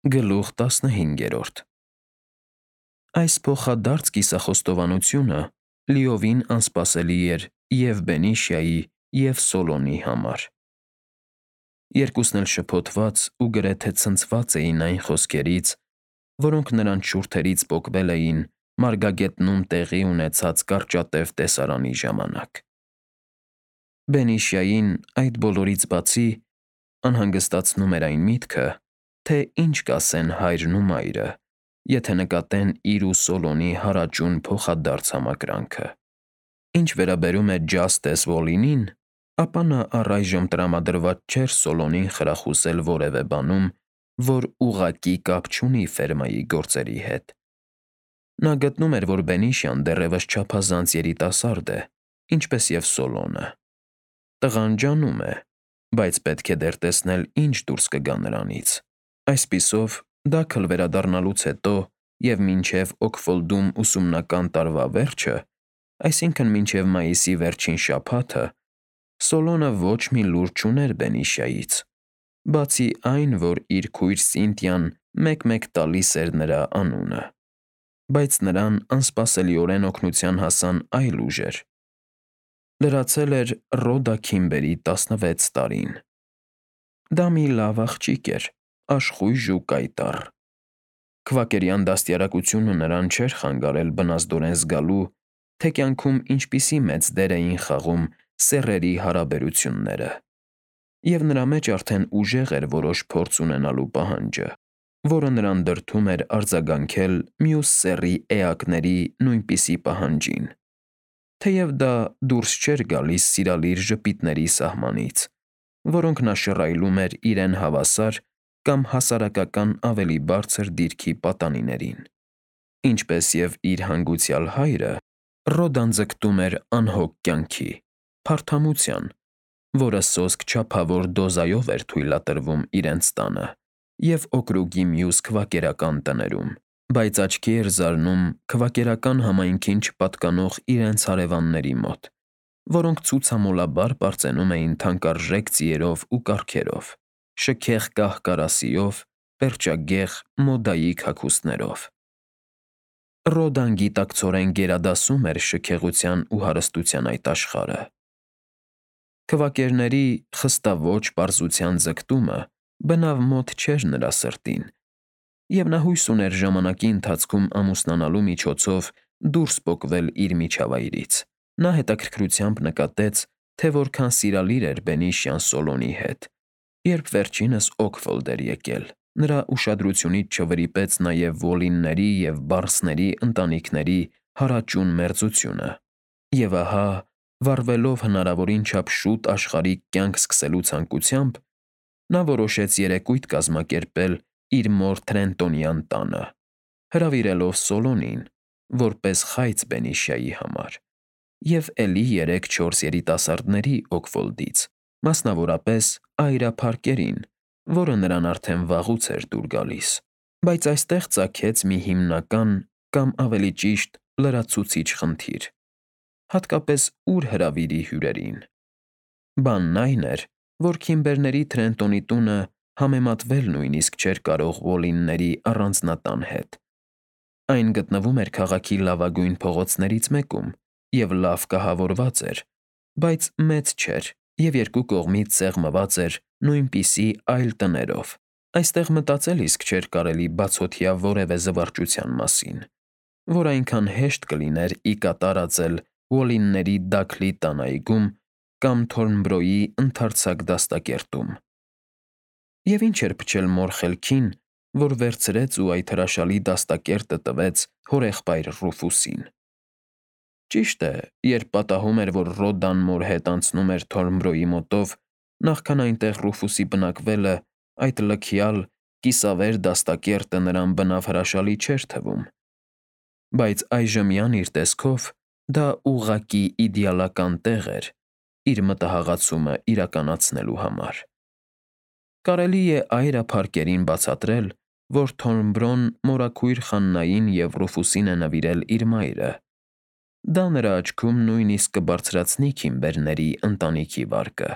Գլուխ 15 Այս փոխադարձ կիսախոստովանությունը լիովին անսպասելի էր և Բենիշիայի, և Սոլոմի համար։ Երկուսն էլ շփոթված ու գրեթե ցնցված էին այն խոսքերից, որոնք նրանց շուրթերից պոկվել էին մարգագետնում տեղի ունեցած կարճատև տեսարանի ժամանակ։ Բենիշիային այդ բոլորից բացի անհանգստացնում էր այն միտքը, թե ինչ կասեն հայրն ու մայրը, եթե նկատեն իր ու Սոլոմի հարաճուն փոխադարձ համակրանքը։ Ինչ վերաբերում է Ջաստես Վոլինին, ապա նա առայժմ տրամադրված չէր Սոլոմին խրախուսել որևէ բանում, որ ուղղակի կապ չունի ֆերմայի գործերի հետ։ Նա գտնում էր, որ Բենիշիան դեռևս չափազանց երիտասարդ է, ինչպես և Սոլոմը։ Տղան ջանում է, բայց պետք է դեռ տեսնել, ինչ դուրս կգա նրանից։ Այսպիսով, Դաքլ վերադառնալուց հետո և մինչև Օքֆոլդում ուսումնական տարվա վերջը, այսինքն՝ մինչև մայիսի վերջին շաբաթը, Սոլոմը ոչ մի լուր չուներ Բենիշիայից, բացի այն, որ իր քույր Սինթիան մեկ-մեկ տալիս էր նրա անունը։ Բայց նրան անսպասելիորեն օգնության հասան այլ ուժեր։ Լրացել էր Ռոդա Քիմբերի 16 տարին։ Դա մի լավ աղջիկ էր, աշխույժ ու կայտառ։ Քվակերյան դաստիարակությունը նրան չէր խանգարել բնազդորեն զգալու, թե կյանքում ինչպիսի մեծ դեր էին խաղում սեռերի հարաբերությունները, և նրա մեջ արդեն ուժեղ էր որոշ փորձ ունենալու պահանջը, որը նրան դրդում էր արձագանքել մյուս սեռի էակների նույնպիսի պահանջին, թեև դա դուրս չէր գալիս սիրալիր ժպիտների սահմանից, որոնք նա շռայլում էր իրեն հավասար կամ հասարակական ավելի բարձր դիրքի պատանիներին։ Ինչպես և իր հանգուցյալ հայրը, Ռոդան ձգտում էր անհոգ կյանքի, փարթամության, որը սոսկ չափավոր դոզայով էր թույլատրվում իրենց տանը և օկրուգի մյուս քվակերական տներում, բայց աչքի էր զարնում քվակերական համայնքին չպատկանող իրենց հարևանների մոտ, որոնք ցուցամոլաբար պարծենում էին թանկարժեք ձիերով ու կառքերով, շքեղ կահ֊կարասիով, պերճագեղ մոդայիկ հագուստներով։ Ռոդան գիտակցորեն գերադասում էր շքեղության ու հարստության այդ աշխարհը։ Քվակերների խստաոճ պարզության ձգտումը բնավ մոտ չէր նրա սրտին, և նա հույս ուներ ժամանակի ընթացքում ամուսնանալու միջոցով դուրս պոկվել իր միջավայրից։ Նա հետաքրքրությամբ նկատեց, թե որքան սիրալիր էր Բենիշիան Սոլոմի հետ, երբ վերջինս Օքֆոլդ էր եկել։ Նրա ուշադրությունից չվրիպեց նաև Վոլինների և Բարսների ընտանիքների հարաճուն մերձությունը։ Եվ ահա, վառվելով հնարավորին չափ շուտ աշխարհիկ կյանք սկսելու ցանկությամբ, նա որոշեց երեկույթ կազմակերպել իր մոր Թրենտոնյան տանը, հրավիրելով Սոլոմին՝ որպես խայծ Բենիշիայի համար, և էլի 3-4 երիտասարդների Օքֆոլդից, մասնավորապես Այրա Փարքերին, որը նրան արդեն վաղուց էր դուր գալիս։ Բայց այստեղ ծագեց մի հիմնական, կամ ավելի ճիշտ, լրացուցիչ խնդիր. հատկապես ուր հրավիրի հյուրերին։ Բանն այն էր, որ Քիմբերների Թրենտոնի տունը համեմատվել նույնիսկ չէր կարող Վոլինների առանձնատան հետ։ Այն գտնվում էր քաղաքի լավագույն փողոցներից մեկում և լավ կահավորված էր, բայց մեծ չէր և երկու կողմից սեղմված էր նույնպիսի այլ տներով։ Այստեղ մտածել իսկ չէր կարելի բացօթյա որևէ զվարճության մասին, որ այնքան հեշտ կլիներ ի կատար ածել Վոլինների Դաքլի տան այգում կամ Թորնբրոյի ընդարձակ դաստակերտում։ Եվ ինչ էր փչել մոր խելքին, որ վերցրեց ու այդ հրաշալի դաստակերտը տվեց հորեղբայր Ռուֆուսին։ Ճիշտ է, երբ պատահում էր, որ Ռոդան մոր հետ անցնում էր Թորնբրոյի մոտով, նախքան այնտեղ Ռուֆուսի բնակվելը, այդ լքյալ, կիսավեր դաստակերտը նրան բնավ հրաշալի չէր թվում, բայց այժմյան իր տեսքով դա ուղղակի իդեալական տեղ էր իր մտահաղացումը իրականացնելու համար։ Կարելի է Այրա Փարքերին բացատրել, որ Թորնբրոն մորաքույր Խաննային և Ռուֆուսին է նվիրել իր մայրը։ Դա նրա աչքում նույնիսկ կբարձրացնի Քիմբերների ընտանիքի վարկը։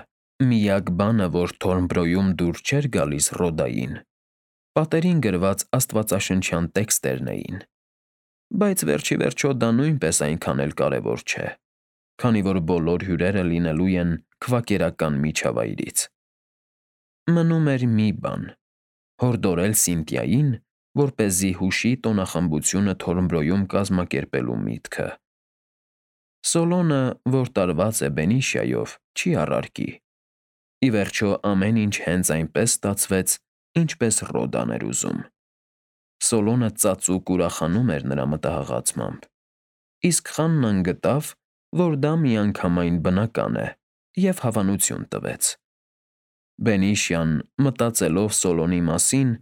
Միակ բանը, որ Թորնբրոյում դուր չէր գալիս Ռոդային, Պատերին գրված աստվածաշնչյան տեքստերն էին։ Բայց վերջի վերջո դա նույնպես այնքան էլ կարևոր չէ, քանի որ բոլոր հյուրերը լինելու են քվակերական միջավայրից։ Մնում էր մի բան՝ հորդորել Սինտիային, որպեսզի հուշի տոնախմբությունը Թորմբրոյում կազմակերպելու միտքը։ Սոլոնը, որ տարված է Բենիշիայով, չի առարկի։ Ի վերջո ամեն ինչ հենց այնպես ստացվեց, ինչպես Ռոդան էր ուզում։ Սոլոնը ծածուկ ուրախանում էր նրա մտահղացմամբ, իսկ Խաննան գտավ, որ դա միանգամայն բնական է, և հավանություն տվեց։ Բենիշիան, մտածելով Սոլոնի մասին,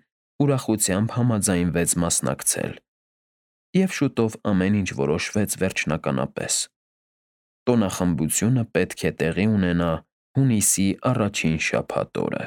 ուրախությամբ համաձայնվեց մասնակցել, և շուտով ամեն ինչ որոշվեց վերջնականապես։ Տոնախմբությունը պետք է տեղի ունենա հունիսի առաջին շաբաթ օրը։